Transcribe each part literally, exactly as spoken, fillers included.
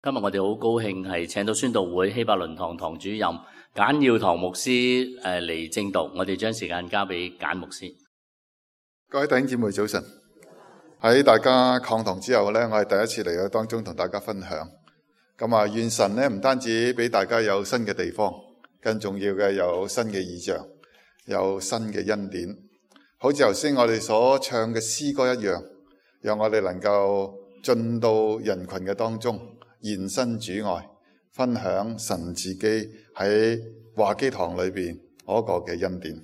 今日我哋好高興係請到宣道會希伯倫堂堂主任簡耀堂牧師誒嚟證道，我哋將時間交俾簡牧師。各位弟兄姊妹早晨，喺大家抗堂之後呢，我係第一次嚟到當中同大家分享。咁啊，願神呢唔單止俾大家有新嘅地方，更重要嘅有新嘅異象，有新嘅恩典。好似頭先我哋所唱嘅詩歌一樣，讓我哋能夠進到人群嘅當中，現身主愛，分享神自己喺華基堂裏邊嗰個嘅恩典。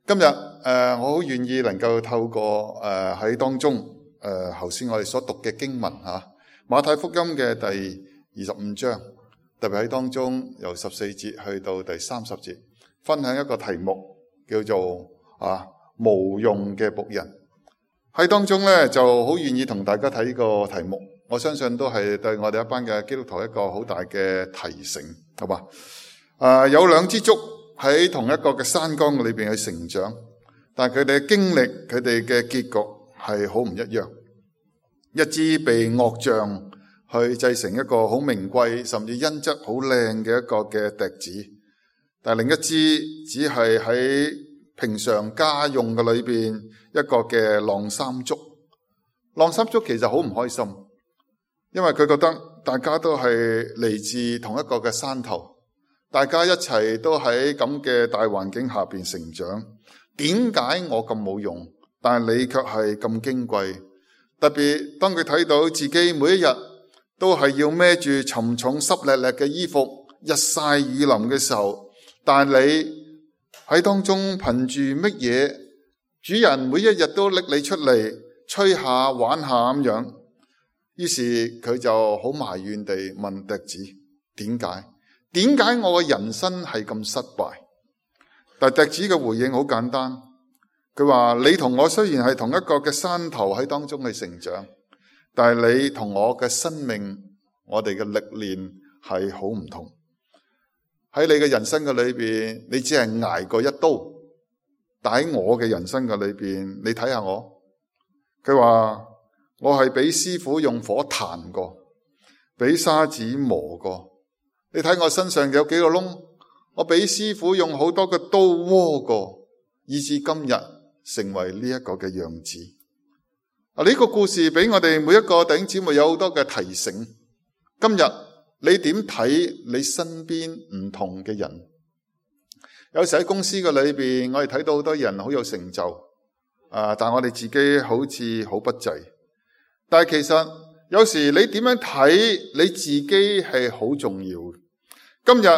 今日誒、呃，我好願意能夠透過誒喺、呃、當中誒頭先我哋所讀嘅經文吓、啊，馬太福音嘅第二十五章，特別喺當中由十四節去到第三十節，分享一個題目叫做啊無用嘅僕人。喺當中咧就好願意同大家睇呢個題目。我相信都係對我哋一班嘅基督徒一個好大嘅提醒，好吧？啊，有兩支竹喺同一個嘅山崗裏邊去成長，但係佢哋嘅經歷，佢哋嘅結局係好唔一樣。一支被惡匠去製成一個好名貴，甚至音質好靚嘅一個嘅笛子，但係另一支只係喺平常家用嘅裏邊一個嘅晾衫竹。晾衫竹其實好唔開心。因為佢覺得大家都係嚟自同一個嘅山頭，大家一齊都喺咁嘅大環境下邊成長。點解我咁冇用，但係你卻係咁矜貴？特別當佢睇到自己每一日都係要孭住沉重濕瀝瀝嘅衣服，日曬雨淋嘅時候，但係你喺當中憑住乜嘢？主人每一日都拎你出嚟吹下玩下咁樣。於是佢就好埋怨地問笛子：點解？點解我嘅人生係咁失敗？但笛子嘅回應好簡單，佢話：你同我雖然係同一個嘅山頭喺當中去成長，但係你同我嘅生命，我哋嘅歷練係好唔同。喺你嘅人生嘅裏邊，你只係捱過一刀，但喺我嘅人生嘅裏邊，你睇下我。佢話：我係俾師傅用火彈過，俾沙子磨過。你睇我身上有幾個窿，我俾師傅用好多個刀窩過，以至今日成為呢一個嘅樣子。啊，呢個故事俾我哋每一個弟兄姊妹有好多嘅提醒。今日你點睇你身邊唔同嘅人？有時喺公司嘅裏邊，我哋睇到好多人好有成就，啊，但我哋自己好似好不濟。但係其實有時你點樣睇你自己係好重要。今日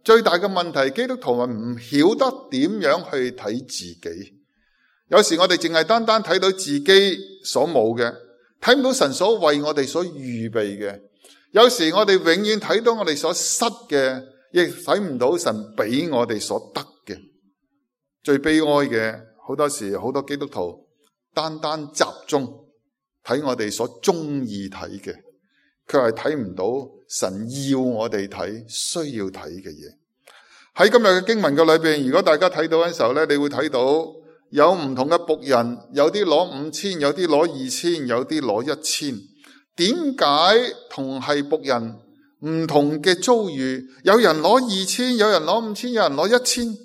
最大嘅問題，基督徒係唔曉得點樣去睇自己。有時我哋淨係單單睇到自己所冇嘅，睇唔到神所為我哋所預備嘅。有時我哋永遠睇到我哋所失嘅，亦睇唔到神俾我哋所得嘅。最悲哀嘅，好多時好多基督徒單單集中睇我哋所中意睇嘅，佢係睇唔到神要我哋睇、需要睇嘅嘢。喺今日嘅經文嘅裏邊，如果大家睇到嘅時候咧，你會睇到有唔同嘅僕人，有啲攞五千，有啲攞二千，有啲攞一千。點解同係僕人唔同嘅遭遇？有人攞二千，有人攞五千，有人攞一千。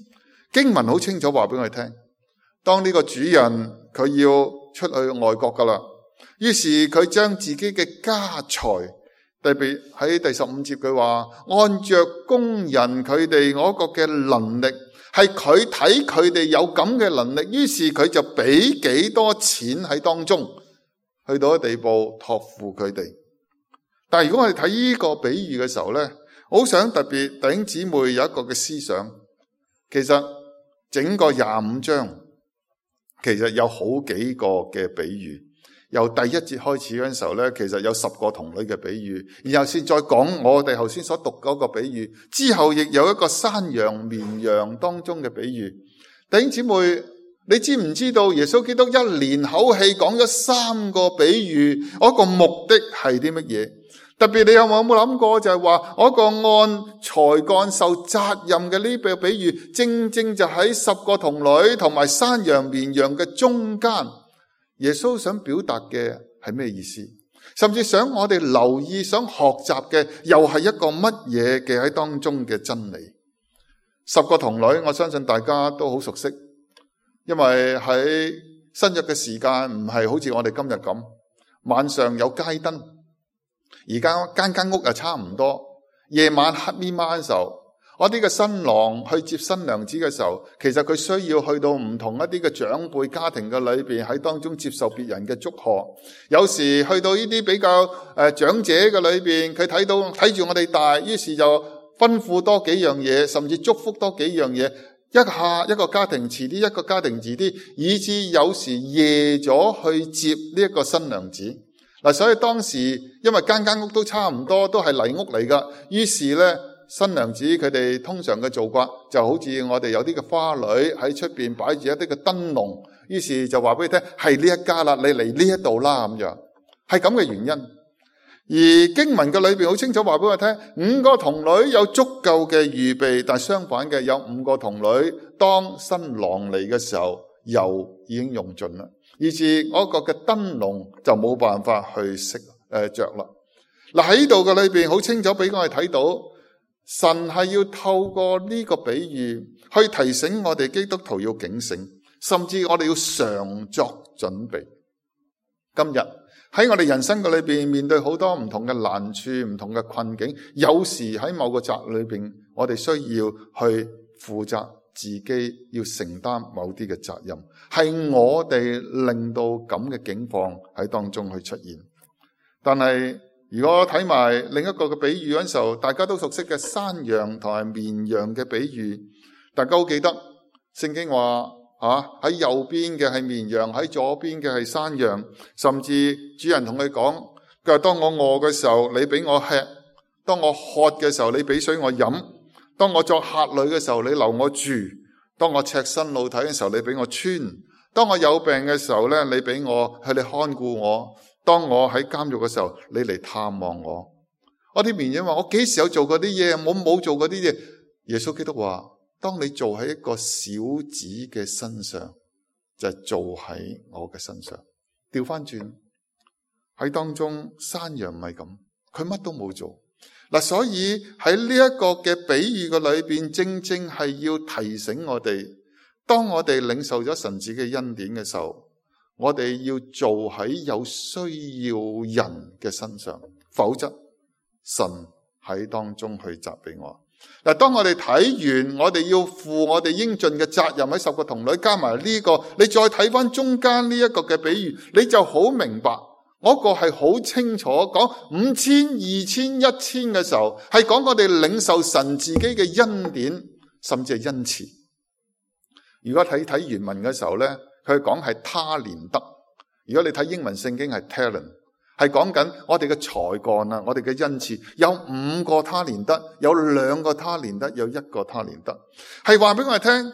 經文好清楚話俾我哋聽，當呢個主人佢要出去外國噶啦。於是佢將自己嘅家財，特別喺第十五節佢話，按着工人佢哋嗰個嘅能力，係佢睇佢哋有咁嘅能力，於是佢就俾幾多錢喺當中，去到一地步託付佢哋。但係如果我哋睇呢個比喻嘅時候呢，我好想特別弟兄姊妹有一個嘅思想，其實整個廿五章其實有好幾個嘅比喻。由第一節開始嗰陣時候咧，其實有十個童女嘅比喻，然後先再講我哋頭先所讀嗰個比喻，之後亦有一個山羊綿羊當中嘅比喻。弟兄姊妹，你知唔知道耶穌基督一連口氣講咗三個比喻，嗰個目的係啲乜嘢？特別你有冇冇諗過就係話嗰個按才幹受責任嘅呢個比喻，正正就喺十個童女同埋山羊綿羊嘅中間。耶穌想表達嘅係咩意思？甚至想我哋留意、想學習嘅，又係一個乜嘢嘅喺當中嘅真理。十個童女，我相信大家都好熟悉，因為喺新約嘅時間唔係好似我哋今日咁，晚上有街燈，而家間間屋又差唔多。夜晚黑咪晚嘅時候，我啲嘅新郎去接新娘子嘅時候，其實佢需要去到唔同一啲嘅長輩家庭嘅裏邊，喺當中接受別人嘅祝賀。有時去到呢啲比較誒、呃、長者嘅裏邊，佢睇到睇住我哋大，於是就吩咐多幾樣嘢，甚至祝福多幾樣嘢。一下一個家庭遲啲，一個家庭遲啲，以至有時夜咗去接呢一個新娘子。嗱，所以當時因為間間屋都差唔多，都係泥屋嚟噶，於是咧新娘子佢哋通常嘅做法就好似我哋有啲嘅花女喺出邊擺住一啲嘅燈籠，於是就話俾你聽係呢一家啦，你嚟呢一度啦，咁樣係咁嘅原因。而經文嘅裏邊好清楚話俾我聽，五個童女有足夠嘅預備，但相反嘅有五個童女當新郎嚟嘅時候，油已經用盡啦。以至嗰個嘅燈籠就冇辦法去熄誒着啦。嗱，喺度嘅裏邊好清楚俾我哋睇到，神係要透過呢個比喻去提醒我哋基督徒要警醒，甚至我哋要常作準備。今日喺我哋人生嘅裏邊面對好多唔同嘅難處、唔同嘅困境，有時喺某個責裏邊，我哋需要去負責。自己要承擔某啲嘅責任，係我哋令到咁嘅境況喺當中去出現。但係如果睇埋另一個嘅比喻嗰陣時候，大家都熟悉嘅山羊同埋綿羊嘅比喻，大家好記得聖經話啊，喺右邊嘅係綿羊，喺左邊嘅係山羊。甚至主人同佢講，佢話當我餓嘅時候，你俾我吃；當我渴嘅時候，你俾水我飲。當我作客旅嘅時候，你留我住；當我赤身露體嘅時候，你俾我穿；當我有病嘅時候咧，你俾我去你看顧我；當我喺監獄嘅時候，你嚟探望我。我啲綿羊話：我幾時有做過啲嘢？我冇做過啲嘢。耶穌基督話：當你做喺一個小子嘅身上，就係做喺我嘅身上。調翻轉喺當中，山羊唔係咁，佢乜都冇做。嗱，所以喺呢一個嘅比喻嘅裏邊，正正係要提醒我哋，當我哋領受咗神子嘅恩典嘅時候，我哋要做喺有需要人嘅身上，否則神喺當中去責備我。嗱，當我哋睇完，我哋要負我哋應盡嘅責任，喺十個童女加埋呢個，你再睇翻中間呢一個嘅比喻，你就好明白。我個係好清楚講五千、二千、一千嘅時候，係講我哋領受神自己嘅恩典，甚至係恩賜。如果睇睇原文嘅時候咧，佢講係他連得。如果你睇英文聖經係 talent， 係講緊我哋嘅才幹啊，我哋嘅恩賜有五個他連得，有兩個他連得，有一個他連得，係話俾我哋聽。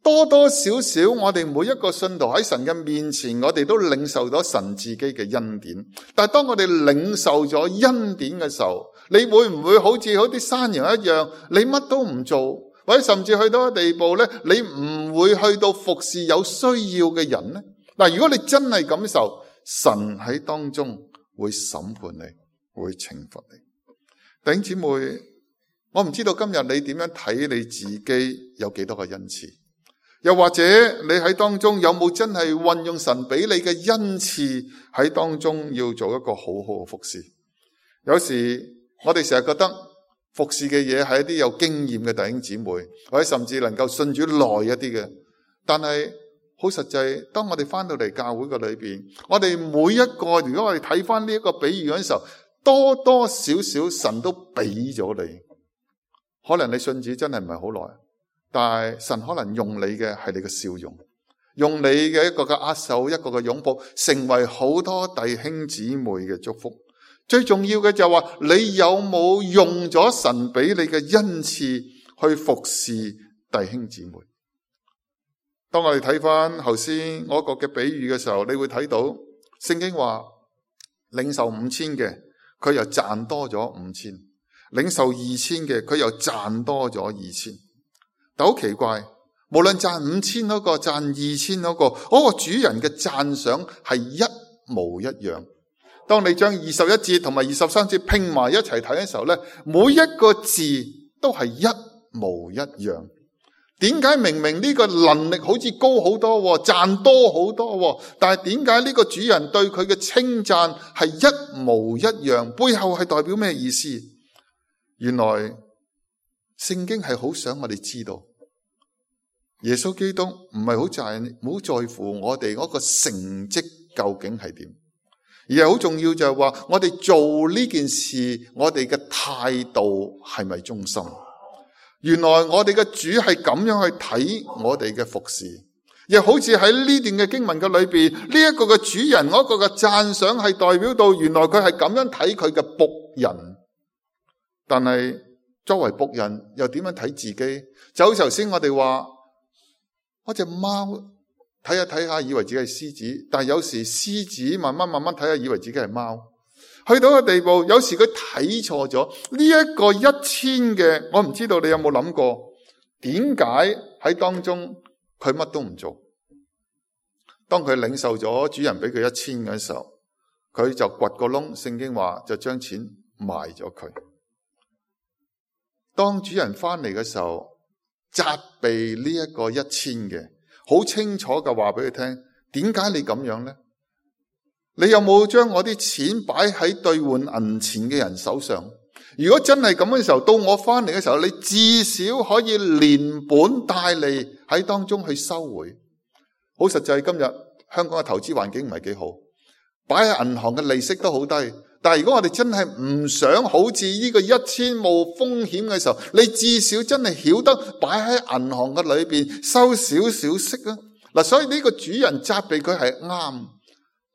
多多少少我哋每一個信徒喺神嘅面前，我哋都領受咗神自己嘅恩典。但係當我哋領受咗恩典嘅時候，你會唔會好似好啲山羊一樣，你乜都唔做，或者甚至去到一個地步咧，你唔會去到服侍有需要嘅人呢？嗱，如果你真係感受，神喺當中會審判你，會懲罰你。弟兄姊妹，我唔知道今日你點樣睇你自己有幾多個恩賜。又或者你喺當中有冇真係運用神俾你嘅恩賜喺當中，要做一個好好嘅服侍？有時我哋成日覺得服侍嘅嘢係一啲有經驗嘅弟兄姊妹，或者甚至能夠信主耐一啲嘅。但係好實際，當我哋翻到嚟教會嘅裏邊，我哋每一個，如果我哋睇翻呢一個比喻嗰陣時候，多多少少神都俾咗你。可能你信主真係唔係好耐，但係神可能用你嘅係你嘅笑容，用你嘅一個嘅握手，一個嘅擁抱，成為好多弟兄姊妹嘅祝福。最重要嘅就係話，你有冇用咗神俾你嘅恩賜去服侍弟兄姊妹？當我哋睇翻頭先我個嘅比喻嘅時候，你會睇到聖經話，領受五千嘅佢又賺多咗五千，領受二千嘅佢又賺多咗二千。但好奇怪，無論賺五千嗰個，賺二千嗰個，嗰個主人嘅讚賞係一模一樣。當你將二十一節同埋二十三節拼埋一齊睇嘅時候咧，每一個字都係一模一樣。點解明明呢個能力好似高好多，賺多好多，但係點解呢個主人對佢嘅稱讚係一模一樣？背後係代表咩意思？原來聖經係好想我哋知道，耶穌基督唔係好在唔好在乎我哋嗰個成績究竟係點，而係好重要就係話我哋做呢件事，我哋嘅態度係咪忠心？原來我哋嘅主係咁樣去睇我哋嘅服侍，亦好似喺呢段嘅經文嘅裏邊，呢一個嘅主人嗰個嘅讚賞係代表到原來佢係咁樣睇佢嘅僕人。但係作為僕人又點樣睇自己？就好似頭先我哋話，嗰隻貓睇下睇下以為自己係獅子，但係有時獅子慢慢慢慢睇下以為自己係貓。去到個地步，有時佢睇錯咗呢一個一千嘅，我唔知道你有冇諗過，點解喺當中佢乜都唔做？當佢領受咗主人俾佢一千嘅時候，佢就掘個窿，聖經話就將錢賣咗佢。當主人翻嚟嘅時候，責備呢一個一千嘅，好清楚嘅話俾佢聽，點解你咁樣呢？你有冇將我啲錢擺喺兌換銀錢嘅人手上？如果真係咁嘅時候，到我翻嚟嘅時候，你至少可以連本帶利喺當中去收回。好實際，今日香港嘅投資環境唔係幾好，擺喺銀行嘅利息都好低。但係如果我哋真係唔想好似呢個一千冇風險嘅時候，你至少真係曉得擺喺銀行嘅裏邊收少少息啊！嗱，所以呢個主人責備佢係啱。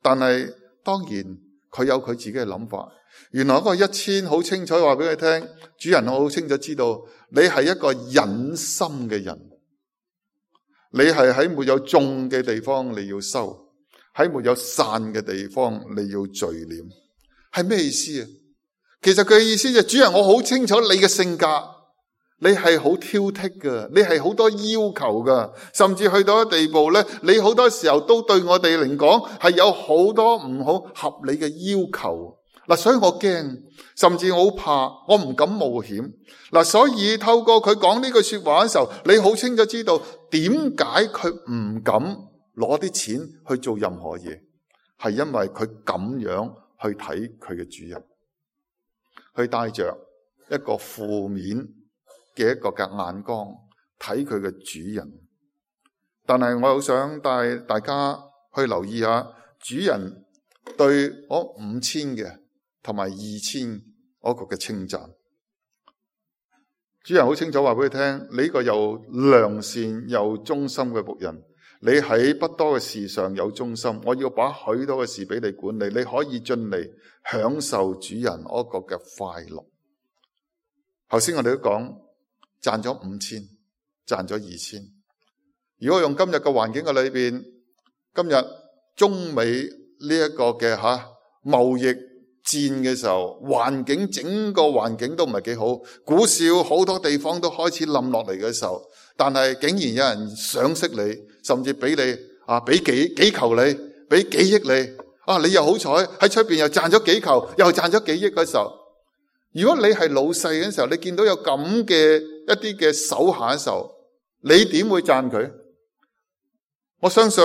但係當然佢有佢自己嘅諗法。原來嗰個一千好清楚話俾佢聽，主人好清楚知道你係一個忍心嘅人，你係喺沒有種嘅地方你要收，喺沒有散嘅地方你要聚斂。係咩意思啊？其實佢嘅意思就係主人，我好清楚你嘅性格。你係好挑剔噶，你係好多要求噶，甚至去到一地步咧，你好多時候都對我哋嚟講係有好多唔好合理嘅要求。嗱，所以我驚，甚至我好怕，我唔敢冒險。嗱，所以透過佢講呢句說話嘅時候，你好清楚知道點解佢唔敢攞啲錢去做任何嘢，係因為佢咁樣去睇佢嘅主人，去帶着一個負面嘅一個嘅眼光睇佢嘅主人。但係我好想帶大家去留意下主人對我五千嘅同埋二千嗰個嘅稱讚。主人好清楚話俾佢聽，你呢個又良善又忠心嘅僕人，你喺不多嘅事上有忠心，我要把許多嘅事俾你管理，你可以進嚟享受主人嗰個嘅快樂。頭先我哋都講賺咗五千，賺咗二千。如果用今日嘅環境嘅裏邊，今日中美呢一個嘅吓貿易戰嘅時候，環境整個環境都唔係幾好，股市好多地方都開始冧落嚟嘅時候，但係竟然有人賞識你，甚至俾你啊，俾幾幾球你，俾幾億你啊，你又好彩喺出邊又賺咗幾球，又賺咗幾億嘅時候，如果你係老細嘅時候，你見到有咁嘅一啲嘅手下嘅時候，你點會讚佢？我相信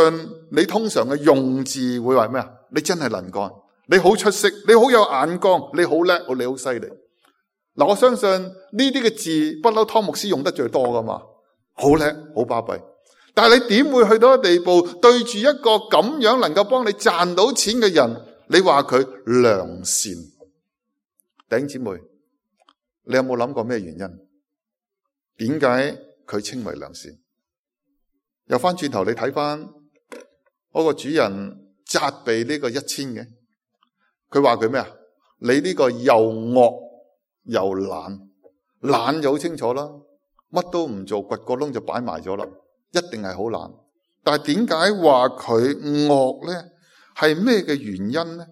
你通常嘅用字會話咩啊？你真係能幹，你好出色，你好有眼光，你好叻，你好犀利。嗱，我相信呢啲嘅字不嬲湯牧師用得最多噶嘛，好叻，好巴閉。但係你點會去到一個地步，對住一個咁樣能夠幫你賺到錢嘅人，你話佢良善？弟兄姊妹，你有冇諗過咩原因？點解佢稱為良善？又翻轉頭你睇翻嗰個主人責備呢個一千嘅，佢話佢咩啊？你呢個又惡又懶，懶就好清楚啦，乜都唔做，掘個窿就擺埋咗啦，一定係好懶。但係點解話佢惡呢？係咩嘅原因呢？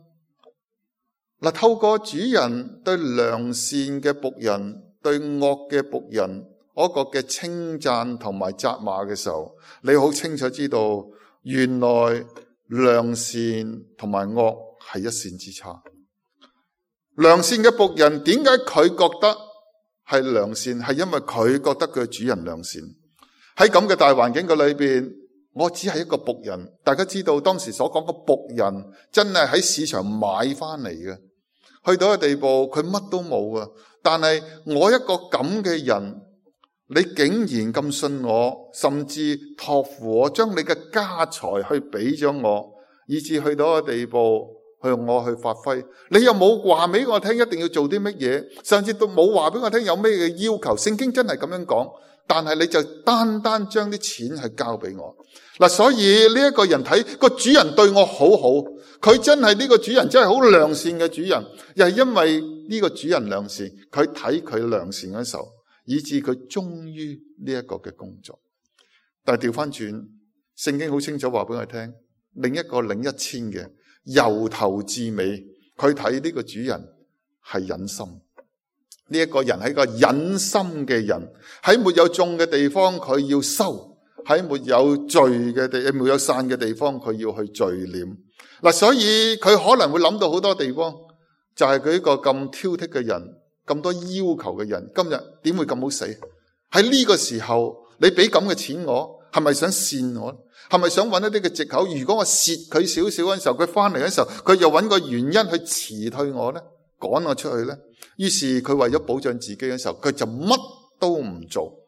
嗱，透過主人對良善嘅僕人對惡嘅僕人嗰個嘅稱讚同埋責罵嘅時候，你好清楚知道，原來良善同埋惡係一線之差。良善嘅僕人，點解佢覺得係良善？係因為佢覺得佢主人良善。喺咁嘅大環境嘅裏邊，我只係一個僕人。大家知道當時所講嘅僕人，真係喺市場買翻嚟嘅。去到一個地步，佢乜都冇啊！但係我一個咁嘅人，你竟然咁信我，甚至託付我，將你嘅家財去俾咗我，以至去到一個地步，向我去發揮。你又冇話俾我聽一定要做啲乜嘢，甚至都冇話俾我聽有咩嘅要求。聖經真係咁樣講，但係你就單單將啲錢去交俾我。嗱，所以呢一個人睇個主人對我好好，佢真係呢個主人真係好良善嘅主人，又係因為呢個主人良善，佢睇佢良善嘅時候，以致佢忠於呢一個嘅工作。但係調翻轉，聖經好清楚話俾我聽，另一個領一千嘅由頭至尾，佢睇呢個主人係忍心。呢一個人係一個忍心嘅人，喺沒有種嘅地方佢要收，喺沒有聚嘅地沒有散嘅地方佢要去聚斂。嗱，所以佢可能會諗到好多地方，就係佢一個咁挑剔嘅人，咁多要求嘅人，今日點會咁好死？喺呢個時候，你俾咁嘅錢我，係咪想跣我？係咪想揾一啲嘅藉口？如果我蝕佢少少嗰陣時候，佢翻嚟嗰陣時候，佢又揾個原因去辭退我呢，趕我出去呢？於是佢為咗保障自己嘅時候，佢就乜都唔做。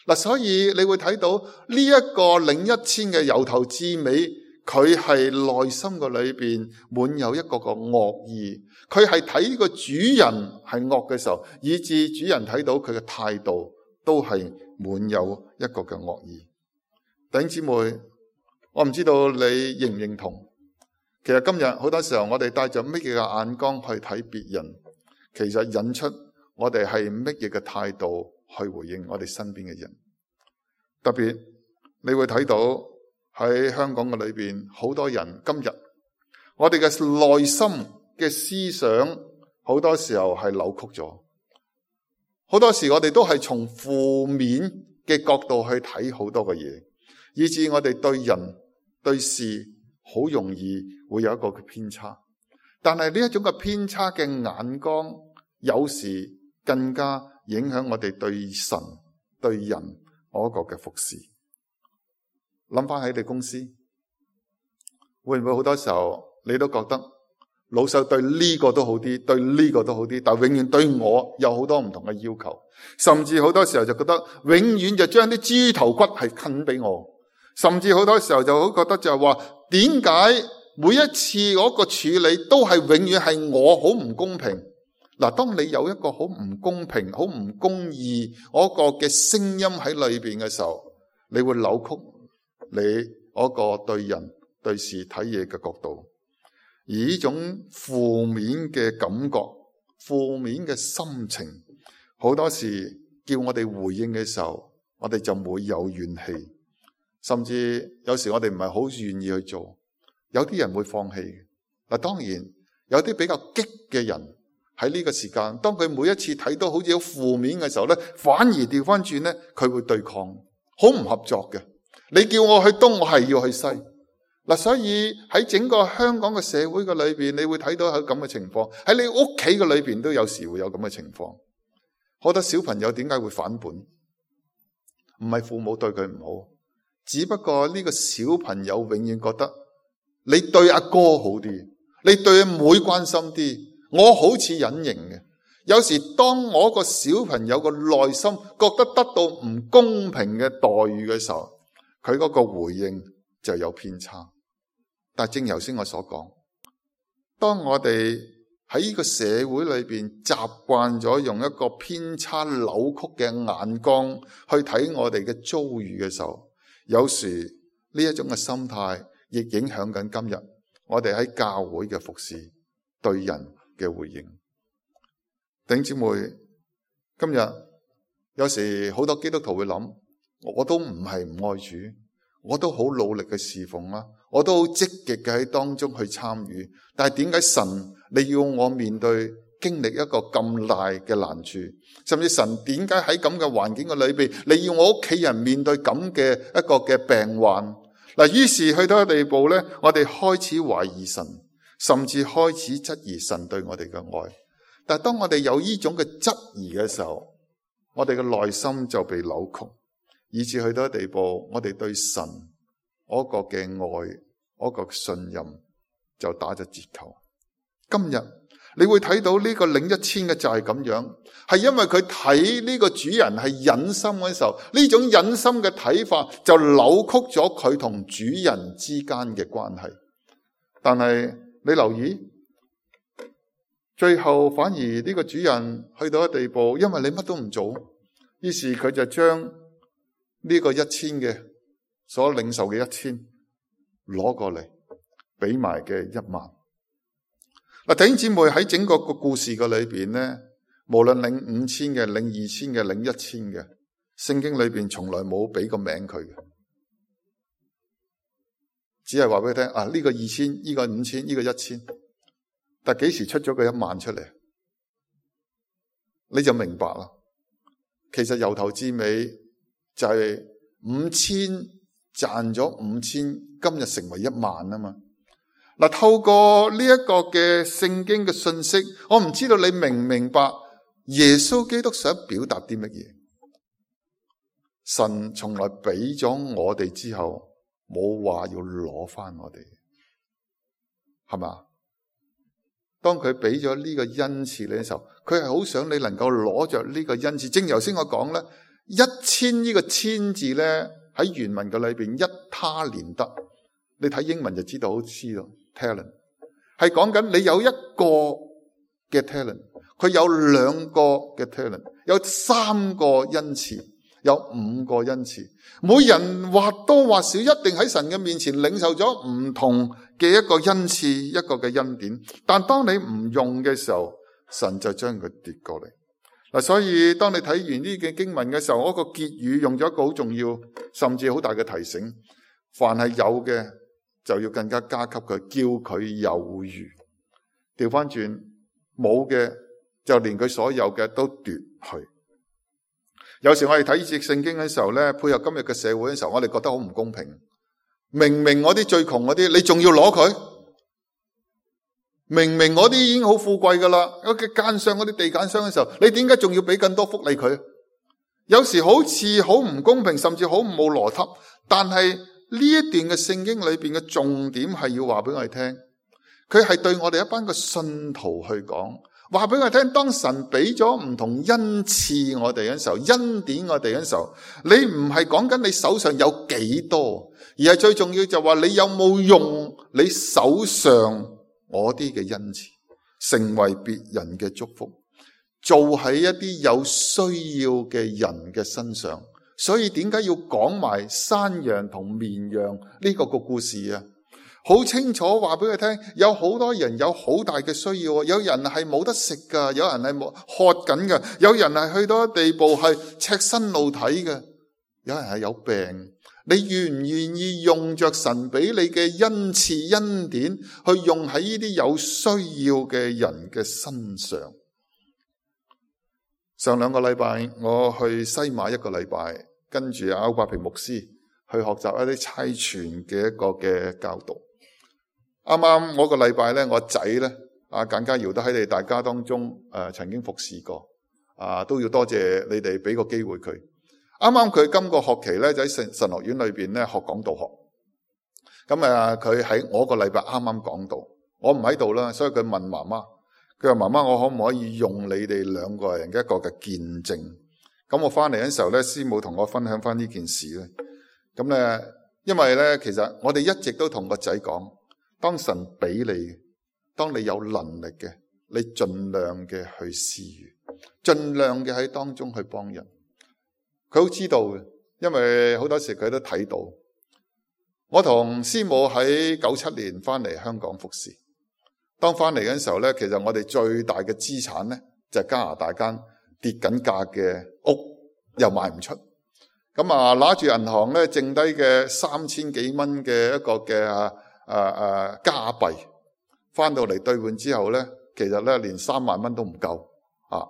嗱，所以你會睇到呢一個領一千嘅由頭至尾，佢係內心嘅裏邊滿有一個個惡意。佢係睇呢個主人係惡嘅時候，以致主人睇到佢嘅態度都係滿有一個嘅惡意。弟兄姊妹，我唔知道你認唔認同？其實今日好多時候我哋帶着乜嘢嘅眼光去睇別人，其實引出我哋係乜嘢嘅態度去回應我哋身邊嘅人。特別你會睇到喺香港嘅裏邊，好多人今日我哋嘅內心嘅思想好多時候係扭曲咗。好多時我哋都係從負面嘅角度去睇好多嘅嘢，以致我哋對人對事好容易會有一個偏差。但係呢一種嘅偏差嘅眼光，有時更加影響我哋對神對人嗰個嘅服侍。諗翻喺你公司，會唔會好多時候你都覺得老細對呢個都好啲，對呢個都好啲，但永遠對我有好多唔同嘅要求，甚至好多時候就覺得永遠就將啲豬頭骨係啃俾我，甚至好多時候就好覺得就係話，點解每一次嗰個處理都係永遠係我好唔公平？嗱，當你有一個好唔公平、好唔公義嗰個嘅聲音喺裏邊嘅時候，你會扭曲你嗰個對人對事睇嘢嘅角度，而呢種負面嘅感覺、負面嘅心情，好多時叫我哋回應嘅時候，我哋就會有怨氣，甚至有時我哋唔係好願意去做。有啲人會放棄。嗱，當然有啲比較激嘅人喺呢個時間，當佢每一次睇到好似好負面嘅時候咧，反而調翻轉咧，佢會對抗，好唔合作嘅。你叫我去東，我係要去西。嗱，所以喺整個香港嘅社會嘅裏邊，你會睇到有咁嘅情況。喺你屋企嘅裏邊都有時會有咁嘅情況。好多小朋友點解會反叛？唔係父母對佢唔好，只不過呢個小朋友永遠覺得你對阿哥好啲，你對阿妹關心啲，我好似隱形嘅。有時當我個小朋友個內心覺得得到唔公平嘅待遇嘅時候，佢嗰個回應就有偏差。但正如頭先我所講，當我哋喺呢個社會裏邊習慣咗用一個偏差扭曲嘅眼光去睇我哋嘅遭遇嘅時候，有時呢一種嘅心態亦影響緊今日我哋喺教會嘅服侍對人嘅回應。弟兄姊妹，今日有時好多基督徒會諗，我都唔係唔愛主，我都好努力嘅侍奉啦，我都好積極嘅喺當中去參與，但係點解神你要我面對經歷一個咁大嘅難處，甚至神點解喺咁嘅環境嘅裏邊，你要我屋企人面對咁嘅一個嘅病患？嗱，於是去到一個地步咧，我哋開始懷疑神，甚至開始質疑神對我哋嘅愛。但係當我哋有呢種嘅質疑嘅時候，我哋嘅內心就被扭曲，以至去到一地步，我哋對神嗰個嘅愛、嗰個信任就打咗折扣。今日你會睇到呢個領一千嘅就係咁樣，係因為佢睇呢個主人係忍心嘅時候，呢種忍心嘅睇法就扭曲咗佢同主人之間嘅關係。但係你留意，最後反而呢個主人去到一地步，因為你乜都唔做，於是佢就將呢個一千嘅所領受嘅一千攞過嚟，俾埋嘅一萬。嗱，弟兄姊妹，喺整個個故事嘅裏邊咧，無論領五千嘅、領二千嘅、領一千嘅，聖經裏邊從來冇俾個名佢嘅，只係話俾佢聽啊，呢個二千，呢個五千，呢個一千。但幾時出咗個一萬出嚟，你就明白啦。其實由頭至尾就係五千賺咗五千，今日成為一萬啊嘛。嗱，透過呢一個嘅聖經嘅信息，我唔知道你明唔明白耶穌基督想表達啲乜嘢。神從來俾咗我哋之後，冇話要攞翻我哋，係嘛？當佢俾咗呢個恩賜你嘅時候，佢係好想你能夠攞着呢個恩賜。正如頭先我講咧，一千呢個千字咧喺原文嘅裏邊，一他連得，你睇英文就知道，好知道 talent 係講緊你有一個嘅 talent， 佢有兩個嘅 talent， 有三個恩賜，有五個恩賜，每人或多或少一定喺神嘅面前領受咗唔同嘅一個恩賜，一個嘅恩典。但當你唔用嘅時候，神就將佢奪過嚟。嗱，所以當你睇完呢嘅經文嘅時候，嗰個結語用咗一個好重要，甚至好大嘅提醒：凡係有嘅就要更加加給佢，叫佢有餘。調翻轉冇嘅就連佢所有嘅都奪去。有時我哋睇呢節聖經嘅時候咧，配合今日嘅社會嘅時候，我哋覺得好唔公平。明明我啲最窮嗰啲，你仲要攞佢？明明我啲已經好富貴噶啦，嗰啲奸商嗰啲地產商嘅時候，你點解仲要俾更多福利佢？有時好似好唔公平，甚至好冇邏輯。但係呢一段嘅聖經裏邊嘅重點係要話俾我哋聽，佢係對我哋一班嘅信徒去講。話俾我聽，當神俾咗唔同恩賜我哋嘅時候，恩典我哋嘅時候，你唔係講緊你手上有幾多，而係最重要就話你有冇用你手上我啲嘅恩賜，成為別人嘅祝福，做喺一啲有需要嘅人嘅身上。所以點解要講埋山羊同綿羊呢個個故事啊？好清楚話俾佢聽，有好多人有好大嘅需要，有人係冇得食噶，有人係冇渴緊噶，有人係去到一地步係赤身露體嘅，有人係有病。你願唔願意用着神俾你嘅恩賜恩典，去用喺呢啲有需要嘅人嘅身上？上兩個禮拜我去西馬一個禮拜，跟住阿歐伯平牧師去學習一啲差傳嘅一個嘅教導。啱啱我個禮拜咧，我仔咧阿簡家堯都喺你大家當中誒、呃、曾經服侍過，啊都要多謝你哋俾個機會佢。啱啱佢今個學期咧就喺神神學院裏邊咧學講道學，咁啊佢喺我個禮拜啱啱講道，我唔喺度啦，所以佢問媽媽，佢話媽媽，我可唔可以用你哋兩個人嘅一個嘅見證？咁我翻嚟嘅時候咧，師母同我分享翻呢件事咧。咁咧，因為咧其實我哋一直都同個仔講，當神俾你，當你有能力嘅，你盡量嘅去施予，盡量嘅喺當中去幫人。佢好知道嘅，因為好多時佢都睇到。我同師母喺九七年翻嚟香港服侍，當翻嚟嘅時候咧，其實我哋最大嘅資產咧就係加拿大間跌緊價嘅屋，又賣唔出。咁啊，拿住銀行咧剩低嘅三千幾蚊嘅一個嘅啊啊啊加幣，翻到嚟兌換之後咧，其實咧連三萬蚊都唔夠啊！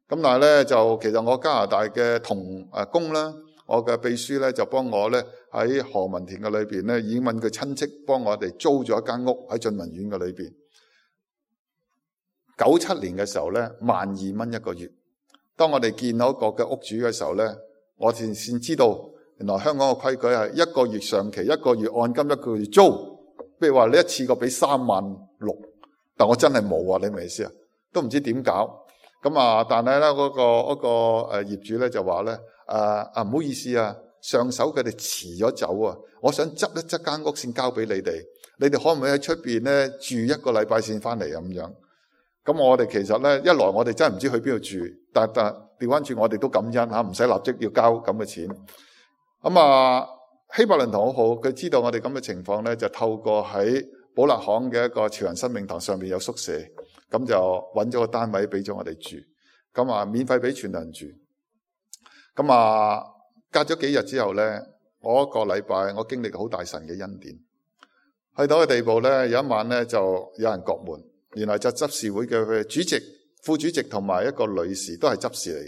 咁但係咧就其實我加拿大嘅同誒工啦，我嘅秘書咧就幫我咧喺何文田嘅裏邊咧，已經問佢親戚幫我哋租咗一間屋喺俊文苑嘅裏邊。九七年嘅時候咧，萬二蚊一個月。當我哋見到一個嘅屋主嘅時候咧，我先先知道原來香港嘅規矩係一個月上期，一個月按金，一個月租。譬如話你一次過俾三萬六，但我真係冇啊！你明唔明意思啊？都唔知點搞。咁啊，但係咧嗰個嗰個誒業主咧就話咧，誒啊唔好意思啊，上手佢哋遲咗走啊，我想執一執間屋先交俾你哋，你哋可唔可以喺出邊咧住一個禮拜先翻嚟咁樣？咁我哋其實咧一來我哋真係唔知去邊度住，但但調翻轉我哋都感恩嚇，唔使立即要交咁嘅錢。咁啊，希伯倫堂好好，佢知道我哋咁嘅情況咧，就透過喺寶勒巷嘅一個潮人生命堂上面有宿舍。咁就揾咗個單位俾咗我哋住，咁啊免費俾全人住。咁啊隔咗幾日之後咧，我一個禮拜我經歷好大神嘅恩典，去到個地步咧，有一晚咧就有人叩門，原來就執事會嘅主席、副主席同埋一個女士都係執事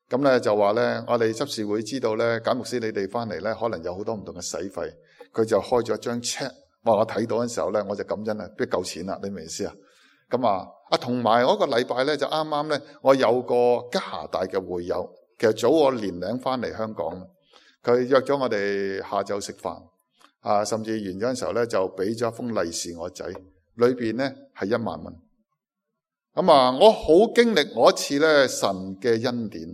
嚟嘅。咁咧就話咧，我哋執事會知道咧，簡牧師你哋翻嚟咧，可能有好多唔同嘅使費，佢就開咗一張 check。哇！我睇到嘅時候咧，我就感恩啊，邊夠錢啦？你明唔明意思啊？咁啊，啊同埋我個禮拜咧就啱啱咧，我有個加拿大嘅會友，其實早我年零翻嚟香港，佢約咗我哋下晝食飯，啊甚至完咗嘅時候咧就俾咗一封利是我仔，裏邊咧係一萬蚊。咁啊，我好經歷我一次咧神嘅恩典，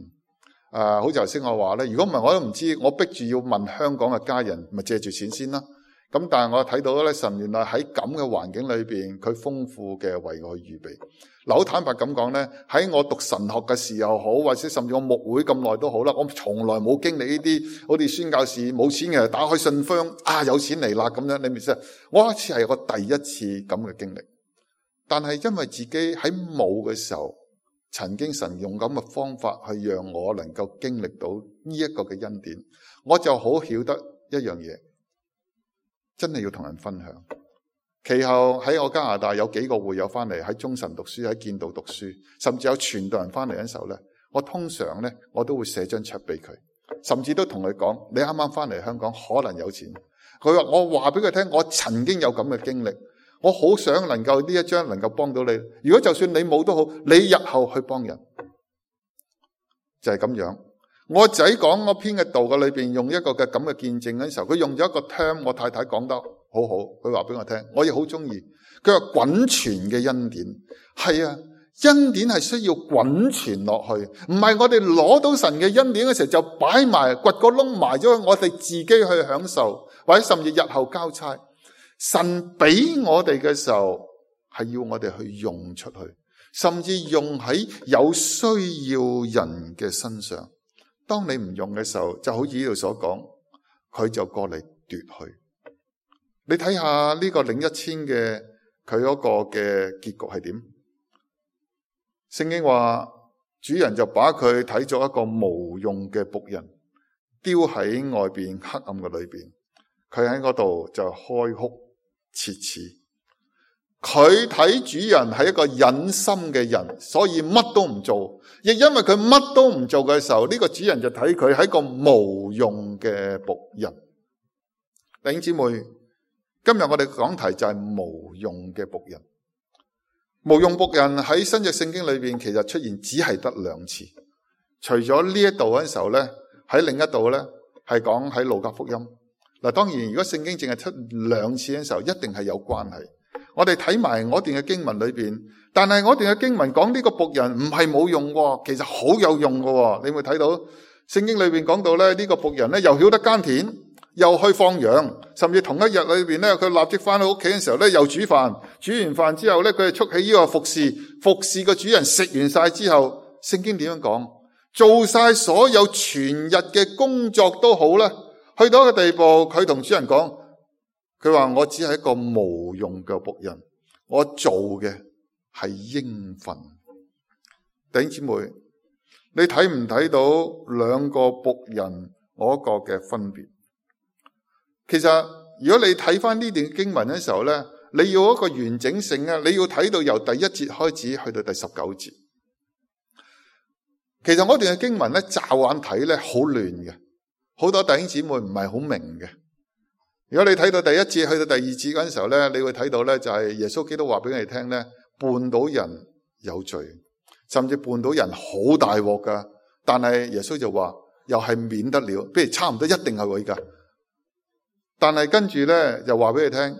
啊好似頭先我話咧，如果唔係我都唔知，我逼住要問香港嘅家人，咪借住錢先啦。咁但係我睇到咧，神原來喺咁嘅環境裏邊，佢豐富嘅為我預備。嗱，好坦白咁講咧，喺我讀神學嘅時候好，或者甚至我牧會咁耐都好啦，我從來冇經歷呢啲好似宣教士冇錢嘅打開信箱啊有錢嚟啦咁樣，你明唔明？我一次係我第一次咁嘅經歷，但係因為自己喺冇嘅時候，曾經神用咁嘅方法去讓我能夠經歷到呢一個嘅恩典，我就好曉得一樣嘢。真係要同人分享。其後喺我加拿大有幾個會友翻嚟，喺中神讀書，喺建道讀書，甚至有傳道人翻嚟嘅時候咧，我通常咧我都會寫張桌俾佢，甚至都同佢講：你啱啱翻嚟香港可能有錢。佢話我話俾佢聽，我曾經有咁嘅經歷，我好想能夠呢一張能夠幫到你。如果就算你冇都好，你日後去幫人就係咁樣。我仔講我篇嘅道嘅裏邊用一個嘅咁嘅見證嘅時候，佢用咗一個 term， 我太太講得好好，佢話俾我聽，我亦好中意。佢話滾存嘅恩典，係啊，恩典係需要滾存落去，唔係我哋攞到神嘅恩典嘅時候就擺埋掘個窿埋咗，我哋自己去享受，或者甚至日後交差。神俾我哋嘅時候係要我哋去用出去，甚至用喺有需要人嘅身上。當你唔用嘅時候，就好似呢度所講，佢就過嚟奪去。你睇下呢個領一千嘅佢嗰個嘅結局係點？聖經話主人就把佢睇作一個無用嘅僕人，丟喺外邊黑暗嘅裏邊。佢喺嗰度就開哭切齒。佢睇主人係一個忍心嘅人，所以乜都唔做。亦因為佢乜都唔做嘅時候，呢個主人就睇佢係一個無用嘅僕人。弟兄姊妹，今日我哋講題就係無用嘅僕人。無用僕人喺新約聖經裏邊其實出現只係得兩次，除咗呢一度嗰陣時候咧，喺另一度咧係講喺路加福音。嗱，當然如果聖經淨係出兩次嘅時候，一定係有關係。我哋睇埋我段嘅經文裏邊，但係我段嘅經文講呢個僕人唔係冇用，其實好有用嘅。你會睇到聖經裏邊講到咧，呢個僕人咧又曉得耕田，又去放羊，甚至同一日裏邊咧，佢立即翻到屋企嘅時候咧，又煮飯。煮完飯之後咧，佢就束起呢個服侍，服侍個主人食完晒之後，聖經點樣講？做晒所有全日嘅工作都好啦，去到一個地步，佢同主人講。佢話我只係一個無用嘅僕人，我做嘅係應份。弟兄姊妹，你睇唔睇到兩個僕人嗰個嘅分別？其實如果你睇翻呢段經文嘅時候咧，你要一個完整性咧，你要睇到由第一節開始去到第十九節。其實嗰段嘅經文咧，驟眼睇咧好亂嘅，好多弟兄姊妹唔係好明嘅。如果你睇到第一節去到第二節嗰陣時候咧，你會睇到咧就係耶穌基督話俾你聽咧，絆倒人有罪，甚至絆倒人好大鑊噶。但係耶穌就話又係免得了，不如差唔多一定係會噶。但係跟住咧又話俾你聽，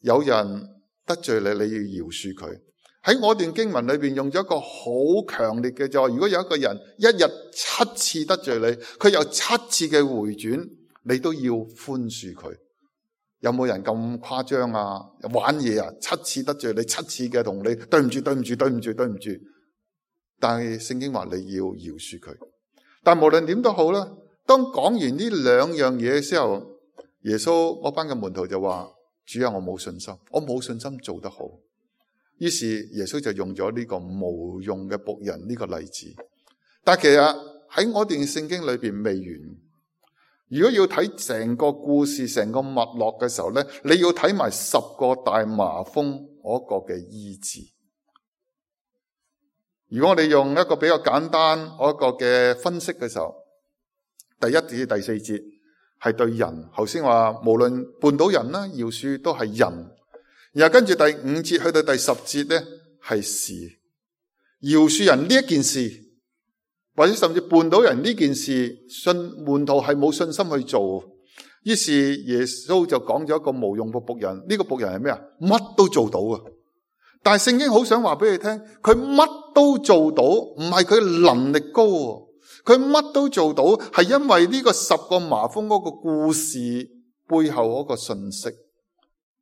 有人得罪你，你要饒恕佢。喺我段經文裏邊用咗一個好強烈嘅，就話如果有一個人一日七次得罪你，佢有七次嘅回轉，你都要寬恕佢。有冇人咁誇張啊？玩嘢啊？七次得罪你，七次嘅同你對唔住，對唔住，對唔住，對唔住。但係聖經話你要饒恕佢。但無論點都好啦，當講完呢兩樣嘢嘅時候，耶穌嗰班嘅門徒就話：主啊，我冇信心，我冇信心做得好。於是耶穌就用咗呢個無用嘅僕人呢個例子。但其實喺我段聖經裏邊未完。如果要睇成個故事、成個脈絡嘅時候咧，你要睇埋十個大麻風嗰個嘅醫治。如果我哋用一個比較簡單嗰個嘅分析嘅時候，第一至第四節係對人，頭先話無論絆倒人啦、饒恕都係人。然後跟住第五節去到第十節咧係事，饒恕人呢一件事。或者甚至絆倒人呢件事，信門徒係冇信心去做，於是耶穌就講咗一個無用嘅僕人。呢、這個僕人係咩啊？乜都做到啊！但係聖經好想話俾你聽，佢乜都做到，唔係佢能力高，佢乜都做到，係因為呢個十個麻風嗰個故事背後嗰個信息。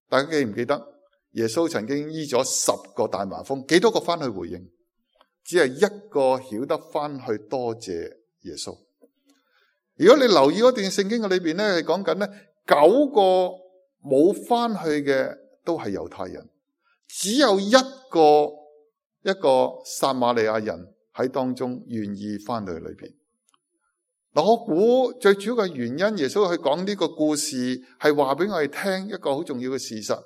大家記唔記得耶穌曾經醫咗十個大麻風？幾多個翻去回應？只係一個曉得翻去多謝耶穌。如果你留意嗰段聖經嘅裏邊咧，係講緊咧九個冇翻去嘅都係猶太人，只有一個一個撒瑪利亞人喺當中願意翻去裏邊。嗱，我估最主要嘅原因，耶穌去講呢個故事係話俾我哋聽一個好重要嘅事實。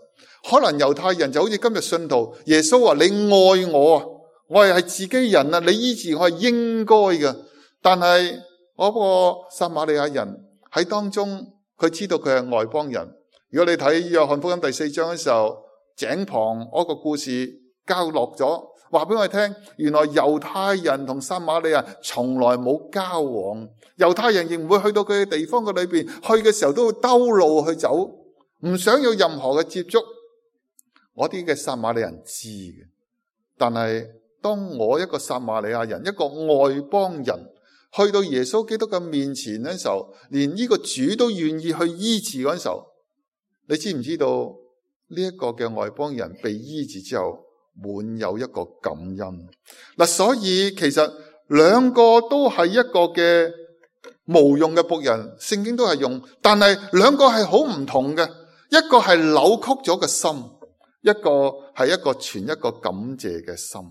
可能猶太人就好似今日信徒，耶穌話你愛我啊。我係係自己人啊，你醫治我係應該嘅。但係嗰個撒瑪利亞人喺當中，佢知道佢係外邦人。如果你睇約翰福音第四章嘅時候，井旁嗰個故事交落咗，話俾我哋聽，原來猶太人同撒瑪利亞從來冇交往，猶太人亦唔會去到佢嘅地方嘅裏邊，去嘅時候都會兜路去走，唔想要任何嘅接觸。我啲嘅撒瑪利亞人知嘅，但係當我一個撒瑪利亞人，一個外邦人，去到耶穌基督嘅面前嘅時候，連呢個主都願意去醫治嗰陣時候，你知唔知道呢一個嘅外邦人被醫治之後，滿有一個感恩嗱？所以其實兩個都係一個嘅無用嘅僕人，聖經都係用，但係兩個係好唔同嘅，一個係扭曲咗嘅心，一個係一個存一個感謝嘅心。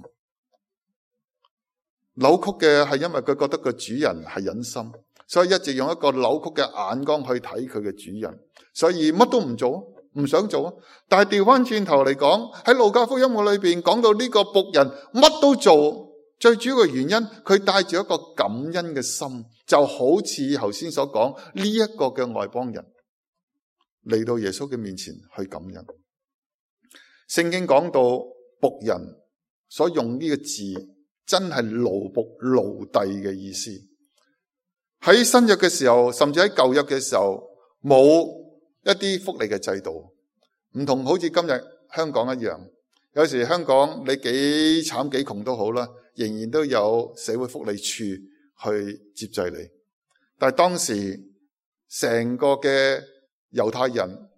扭曲嘅係因為佢覺得個主人係忍心，所以一直用一個扭曲嘅眼光去睇佢嘅主人，所以乜都唔做，唔想做。但係調翻轉頭嚟講，喺路加福音嘅裏邊講到呢個僕人乜都做，最主要嘅原因佢帶住一個感恩嘅心，就好似頭先所講呢一個嘅外邦人嚟到耶穌嘅面前去感恩。聖經講到僕人所用呢個字，真係奴僕奴隸嘅意思。喺新約嘅時候，甚至喺舊約嘅時候，冇一啲福利嘅制度，唔同好似今日香港一樣。有時香港你幾慘幾窮都好啦，仍然都有社會福利處去接濟你。但係當時成個嘅猶太人，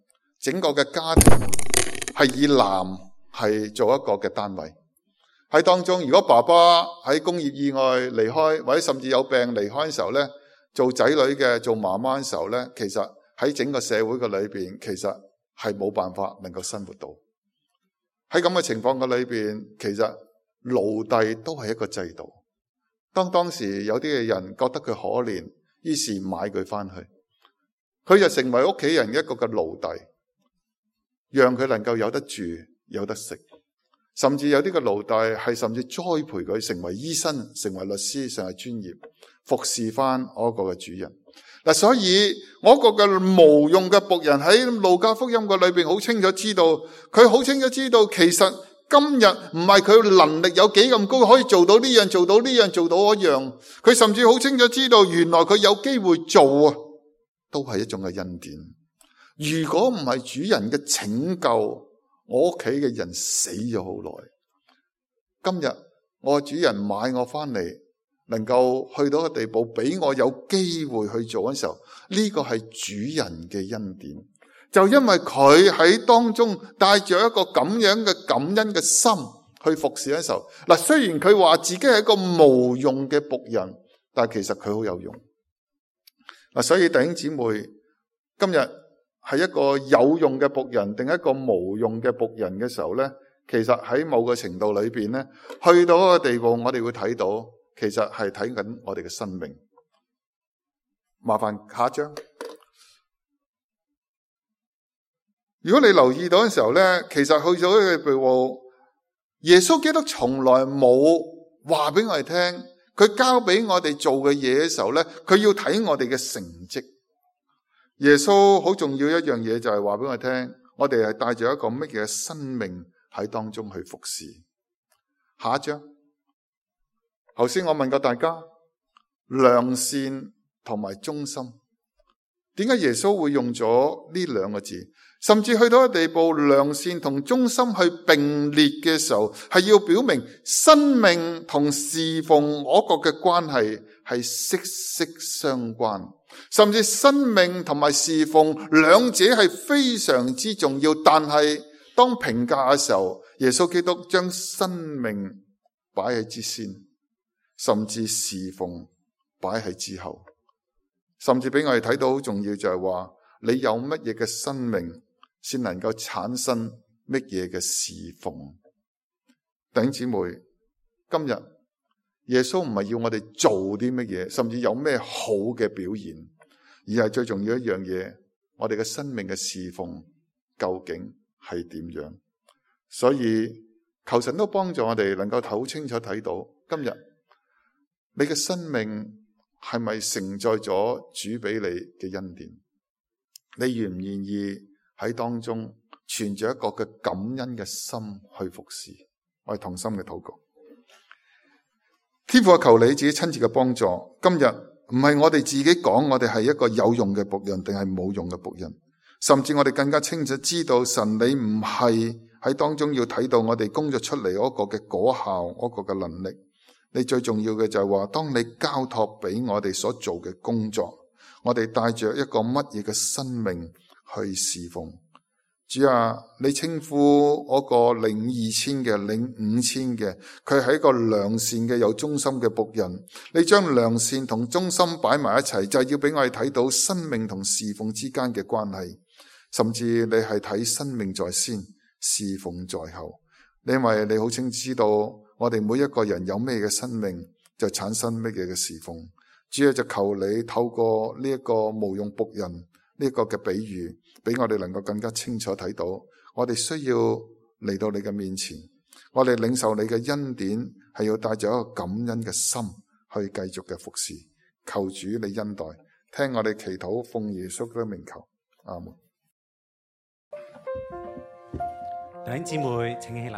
整個嘅家庭係以男係做一個嘅單位。喺當中，如果爸爸喺工業意外離開，或者甚至有病離開嘅時候咧，做仔女嘅做媽媽嘅時候咧，其實喺整個社會嘅裏邊，其實係冇辦法能夠生活到。喺咁嘅情況嘅裏邊，其實奴隸都係一個制度。當當時有啲嘅人覺得佢可憐，於是買佢翻去，佢就成為屋企人一個嘅奴隸，讓佢能夠有得住，有得食。甚至有啲嘅奴隸係甚至栽培佢成為醫生、成為律師、成為專業，服侍翻嗰個嘅主人。嗱，所以我個嘅無用嘅僕人喺路加福音嘅裏邊好清楚知道，佢好清楚知道，其實今日唔係佢能力有幾咁高，可以做到呢樣做到呢樣做到嗰樣，佢甚至好清楚知道原來佢有機會做啊，都係一種嘅恩典。如果唔係主人嘅拯救，我屋企嘅人死咗好耐。今日我主人買我翻嚟，能夠去到個地步俾我有機會去做嘅時候，呢個係主人嘅恩典。就因為佢喺當中帶着一個咁樣嘅感恩嘅心去服侍嘅時候，嗱，雖然佢話自己係一個無用嘅僕人，但係其實佢好有用。嗱，所以弟兄姊妹，今日係一個有用嘅僕人定一個無用嘅僕人嘅時候咧，其實喺某個程度裏邊咧，去到一個地步，我哋會睇到，其實係睇緊我哋嘅生命。麻煩下一張。如果你留意到嘅時候咧，其實去咗嘅地步，耶穌基督從來冇話俾我哋聽，佢交俾我哋做嘅嘢嘅時候咧，佢要睇我哋嘅成績。耶穌好重要一樣嘢就係話俾我哋聽，我哋係帶住一個乜嘢生命喺當中去服侍。下一張。頭先我問過大家，良善同埋忠心，點解耶穌會用咗呢兩個字？甚至去到一個地步，良善同忠心去並列嘅時候，係要表明生命同侍奉我國嘅關係係息息相關，甚至生命同埋侍奉兩者係非常之重要。但係當評價嘅時候，耶穌基督將生命擺喺之先，甚至侍奉擺喺之後，甚至俾我哋睇到好重要就係話，你有乜嘢嘅生命先能夠產生乜嘢嘅侍奉。弟兄姊妹，今日耶穌唔係要我哋做啲乜嘢，甚至有咩好嘅表現，而係最重要一樣嘢，我哋嘅生命嘅侍奉究竟係點樣。所以求神都幫助我哋能夠好清楚睇到，今日你嘅生命係咪承載咗主俾你嘅恩典？你願唔願意喺當中存住一個嘅感恩嘅心去服侍？我係同心嘅禱告。天父啊，求你自己親自嘅幫助。今日唔係我哋自己講我哋係一個有用嘅僕人定係冇用嘅僕人，甚至我哋更加清楚知道神你唔係喺當中要睇到我哋工作出嚟嗰個嘅果效，嗰個嘅能力。你最重要嘅就係話，當你交託俾我哋所做嘅工作，我哋帶着一個乜嘢嘅生命去侍奉。主啊，你稱呼嗰個領二千嘅、領五千嘅，佢係一個良善嘅、有忠心嘅僕人。你將良善同忠心擺埋一齊，就係要俾我哋睇到生命同侍奉之間嘅關係。甚至你係睇生命在先，侍奉在後。因為你好清知道我哋每一個人有咩嘅生命，就產生咩嘢嘅侍奉。主啊，就求你透過呢一個無用僕人呢一個嘅比喻，俾我哋能夠更加清楚睇到，我哋需要嚟到你嘅面前，我哋領受你嘅恩典，係要帶着一個感恩嘅心去繼續嘅服侍。求主你恩待，聽我哋祈禱，奉耶穌嘅名求，阿門。弟兄姊妹，請起立。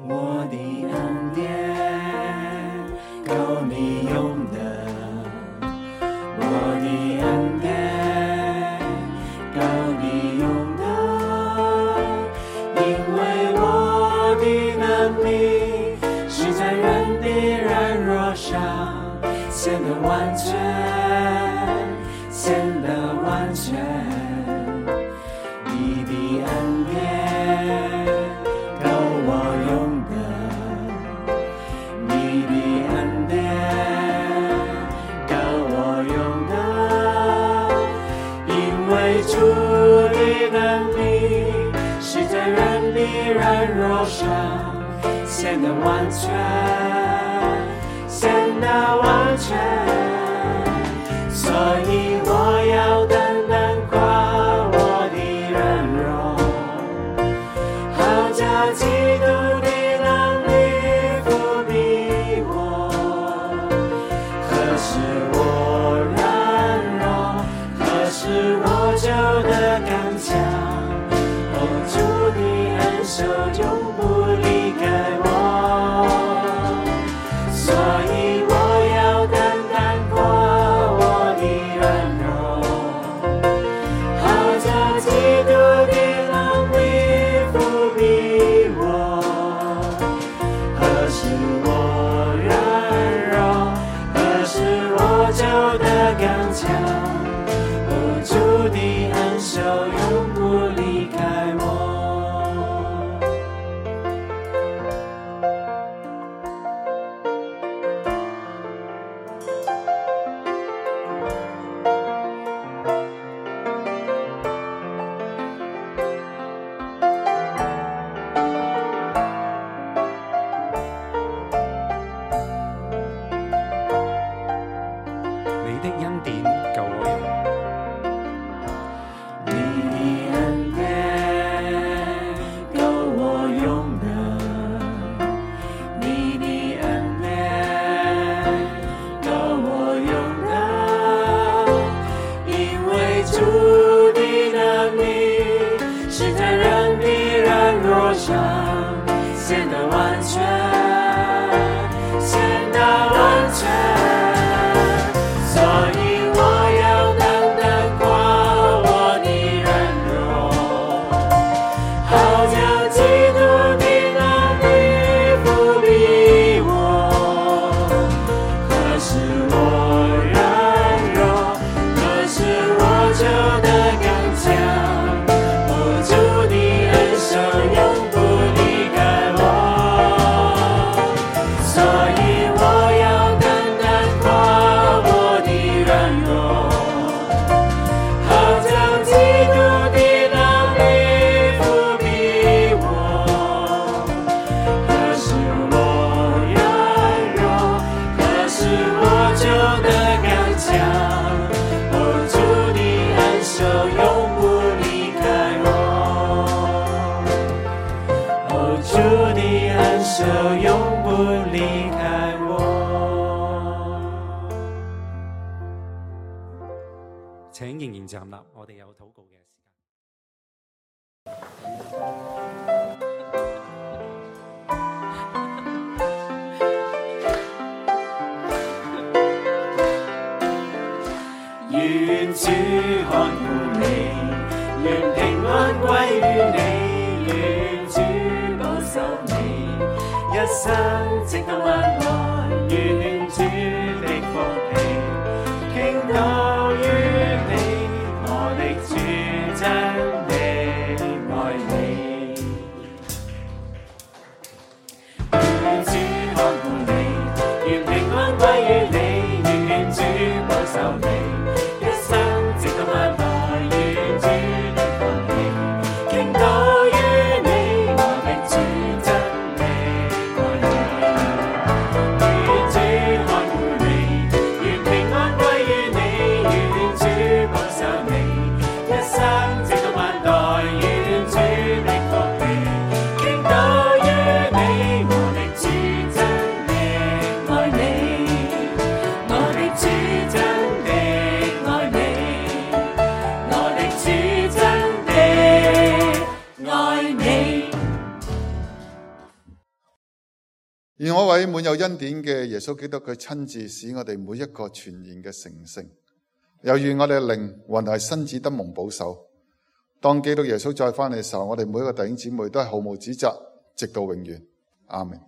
我的恩典夠你用的，我的恩典夠你用的，因為我的能力是在人的軟弱上顯得完全，顯得完全，你的恩典主的能力是在人的軟弱上顯得完全，顯得完全，所以我要單單誇顯得完全，顯得完全，所以我要單單誇我的軟弱，好叫基督的能力覆庇我。可是我軟弱，可是我就得剛強，哦，主的恩手永不離開我，所以我要單單誇我的軟弱，好叫基督的能力覆庇我。可是我軟弱，可是我就得剛強，哦，主的恩手永不離開我，哦，主的恩手永不離開我。請仍然站立，我哋有禱告嘅時間。願主看顧你，願平安歸於你，願主保守你，一生直到萬代，願主的福氣傾倒於你，我的主真的愛你。願主看顧你，願平安歸於你，願主保守你，一生直到萬代，願主的福氣傾倒於你，我的主真的愛你。願主看顧你，願平安歸於你，願主保守你，一生直到萬代，願主的福氣傾倒於你，我的主真的愛你，我的主真的愛你，我的主真的愛你。願我位滿有恩典嘅耶穌基督，佢親自使我哋每一個全然嘅成聖，又願我哋嘅靈魂係身子得蒙保守。當基督耶穌再翻嚟嘅時候，我哋每一個弟兄姊妹都係毫無指責，直到永遠。阿們。